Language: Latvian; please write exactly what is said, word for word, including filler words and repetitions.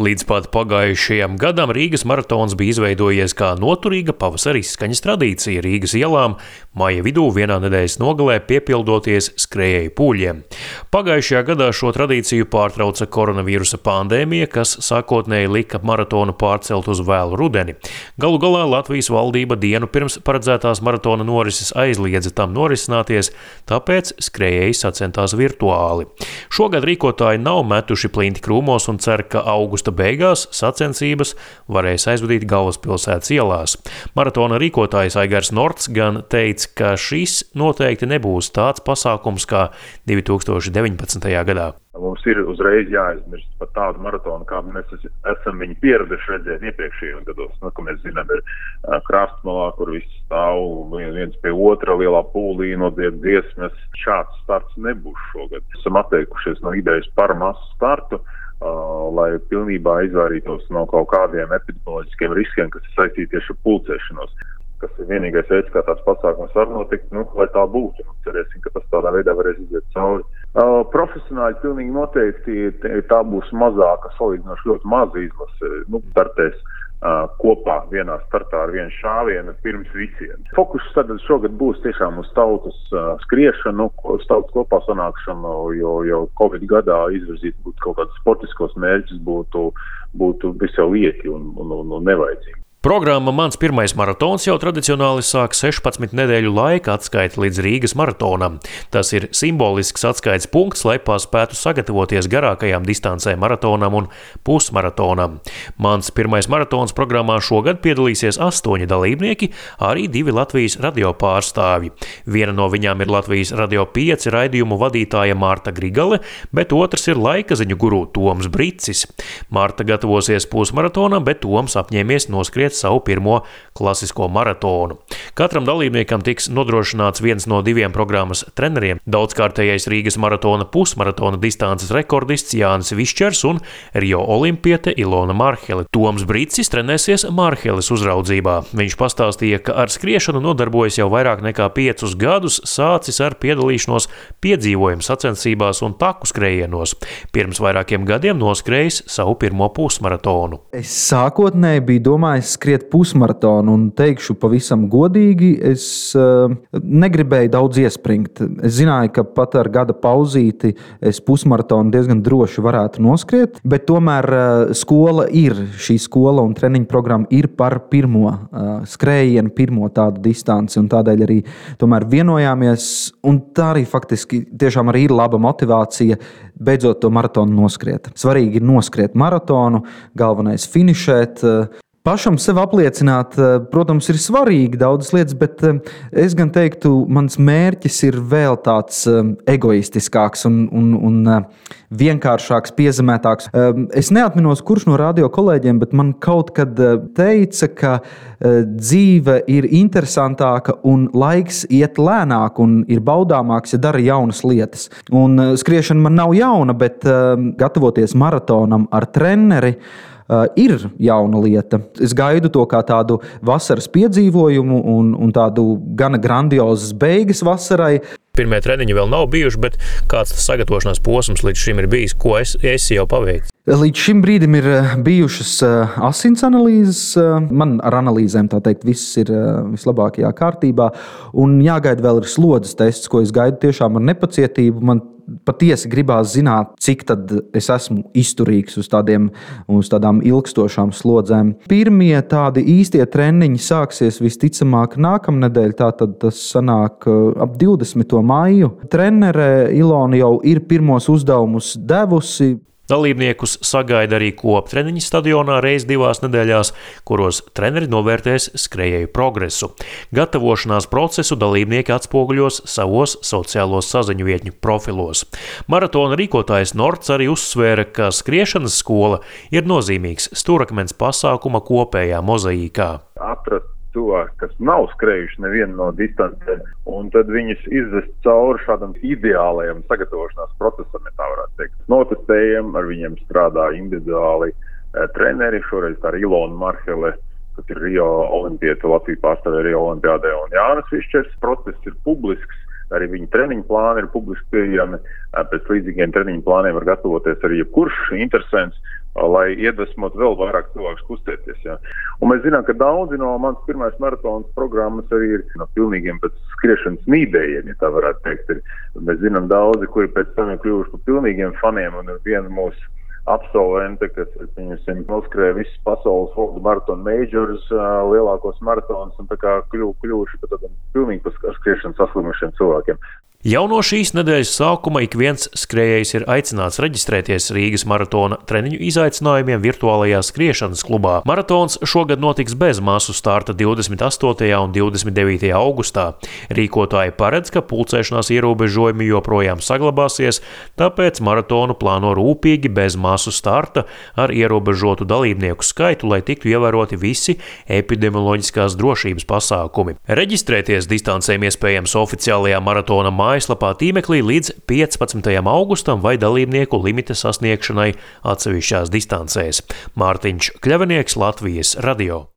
Līdz pat pagājušajam gadam Rīgas maratons bija izveidojies kā noturīga pavasara izskaņas tradīcija Rīgas ielām, maija vidū vienā nedēļas nogalē piepildoties skrējēju pūļiem. Pagājušajā gadā šo tradīciju pārtrauca koronavīrusa pandēmija, kas sākotnēji lika maratonu pārcelt uz vēlu rudeni. Galu galā Latvijas valdība dienu pirms paredzētās maratona norises aizliedza tam norisināties, tāpēc skrējēji sacentās virtuāli. Šogad rīkotāji nav metuši plinti krūmos un cer, ka augusta beigās sacensības varēs aizvadīt galvaspilsētas ielās. Maratona rīkotājs Aigars Norts gan teica, ka šis noteikti nebūs tāds pasākums kā divi tūkstoši deviņpadsmitajā gadā. Mums ir uzreiz jāizmirst par tādu maratonu, kā mēs esam viņu pieraduši redzēt iepriekšējos gados. Nu, ka mēs zinām, ir krastmalā, kur viss stāv viens pie otra lielā pūlī, nodzied dziesmas. Šāds starts nebūs šogad. Esam atteikušies no idejas par masu startu, Uh, lai pilnībā izvairītos no kaut kādiem epidemioloģiskiem riskiem, kas ir saistīti tieši ar pulcēšanos. Kas ir vienīgais veids, kā tāds pasākums var notikt, nu, lai tā būtu. Nu, cerēsim, ka tas tādā veidā varēs iziet cauri. Uh, profesionāļi pilnīgi noteikti tā būs mazāka, salīdzinoši ļoti maza izlase. Nu, startēs uh, kopā vienā startā ar vienu šāvienu pirms visiem. Fokus tad šogad būs tiešām uz tautas uh, skriešanu, uz tautas kopā sanākšanu, jo, jo Covid gadā izvirzīt būtu kaut kādus sportiskos mērķus būtu, būtu visai lieki un, un, un, un nevajadzīgi. Programma Mans pirmais maratons jau tradicionāli sāk sešpadsmit nedēļu laika atskaiti līdz Rīgas maratonam. Tas ir simbolisks atskaites punkts, lai paspētu sagatavoties garākajām distancēm maratonam un pusmaratonam. Mans pirmais maratons programmā šogad piedalīsies astoņi dalībnieki, arī divi Latvijas radio pārstāvji. Viena no viņām ir Latvijas Radio pieci raidījumu vadītāja Marta Grigale, bet otrs ir laikaziņu guru Toms Bricis. Marta gatavosies pusmaratonam, bet Toms apņēmies noskriet savu pirmo klasisko maratonu. Katram dalībniekam tiks nodrošināts viens no diviem programmas treneriem, daudzkārtējais Rīgas maratona pusmaratona distances rekordists Jānis Višķers un Rio olimpiete Ilona Marhele. Toms Bricis trenēsies Marheles uzraudzībā. Viņš pastāstīja, ka ar skriešanu nodarbojas jau vairāk nekā piecus gadus, sācis ar piedalīšanos piedzīvojumu sacensībās un taku skrējienos. Pirms vairākiem gadiem noskrējis savu pirmo pusmaratonu. Es sākotnēji biju domājis skriet pusmaratonu un teikšu pavisam godīgi, es uh, negribēju daudz iespringt. Es zināju, ka pat ar gada pauzīti es pusmaratonu diezgan droši varētu noskriet, bet tomēr uh, skola ir, šī skola un treniņu programma ir par pirmo uh, skrējienu, pirmo tādu distanci, un tādēļ arī tomēr vienojāmies, un tā arī faktiski tiešām arī ir laba motivācija beidzot to maratonu noskriet. Svarīgi ir noskriet maratonu, galvenais finišēt. Pašam sev apliecināt, protams, ir svarīgi daudzas lietas, bet es gan teiktu, mans mērķis ir vēl tāds egoistiskāks un, un, un vienkāršāks, piezemētāks. Es neatminos, kurš no radio kolēģiem, bet man kaut kad teica, ka dzīve ir interesantāka un laiks iet lēnāk un ir baudāmāks, ja dara jaunas lietas. Un skriešana man nav jauna, bet gatavoties maratonam ar treneri, Uh, ir jauna lieta. Es gaidu to kā tādu vasaras piedzīvojumu un, un tādu gana grandiozas beigas vasarai. Pirmie treniņi vēl nav bijuši, bet kāds tas sagatavošanās posms līdz šim ir bijis? Ko es, esi jau paveicis? Līdz šim brīdim ir bijušas asins analīzes. Man ar analīzēm, tā teikt, viss ir vislabākajā kārtībā. Un jāgaida vēl ir slodzes tests, ko es gaidu tiešām ar nepacietību. Man patiesi gribās zināt, cik tad es esmu izturīgs uz, tādiem, uz tādām ilgstošām slodzēm. Pirmie tādi īstie treniņi sāksies visticamāk nākamnedēļ, tātad tas sanāk ap divdesmito maiju. Trenere Ilona jau ir pirmos uzdevumus devusi. Dalībniekus sagaida arī koptreniņi stadionā reiz divās nedēļās, kuros treneri novērtēs skrējēju progresu. Gatavošanās procesu dalībnieki atspoguļos savos sociālos saziņu vietņu profilos. Maratona rīkotājs Norts arī uzsvēra, ka skriešanas skola ir nozīmīgs stūrakmens pasākuma kopējā mozaīkā. Atrast cilvēki, kas nav skrējuši nevienu no distancēm, un tad viņus izvest cauri šādam ideālajam sagatavošanās procesam, ja tā varētu teikt. Notestējam, ar viņiem strādā individuāli eh, treneri, šoreiz tā ir Ilona Marhele, kas ir Rio olimpiete, Latviju pārstāvē Rio olimpiādē, un Jānis Višķers. Process ir publisks, arī viņa treniņu plāni ir publiski pieejami. Pēc līdzīgiem treniņu plāniem var gatavoties arī jebkurš interesants. lai iedvesmot vēl vairāk cilvēkus kustēties. Ja. Un mēs zinām, ka daudzi no mans pirmais maratons programmas arī ir no pilnīgiem pēc skriešanas mīdējiem, ja tā varētu teikt. Ir. Mēs zinām daudzi, kuri pēc tam ir kļuvuši par pilnīgiem faniem, un ir viena mūsu absolvente, kas, piemēram, noskrēja visas pasaules World Marathon Majors, lielākos maratonus, un tā kā kļuv, kļuvuši par tādiem pilnīgi par skriešanu saslimušiem cilvēkiem. Jau no šīs nedēļas sākuma ik viens skrējējs ir aicināts reģistrēties Rīgas maratona treniņu izaicinājumiem virtuālajā skriešanas klubā. Maratons šogad notiks bez masu starta divdesmit astotajā un divdesmit devītajā augustā. Rīkotāji paredz, ka pulcēšanās ierobežojumi joprojām saglabāsies, tāpēc maratonu plāno rūpīgi bez masu starta ar ierobežotu dalībnieku skaitu, lai tiktu ievēroti visi epidemioloģiskās drošības pasākumi. Reģistrēties distancēm iespējams oficiālajā maratona mājaslapā mājaslapā tīmeklī līdz piecpadsmitajam augustam vai dalībnieku limita sasniegšanai atsevišķās distancēs. Mārtiņš Kļavinieks, Latvijas radio.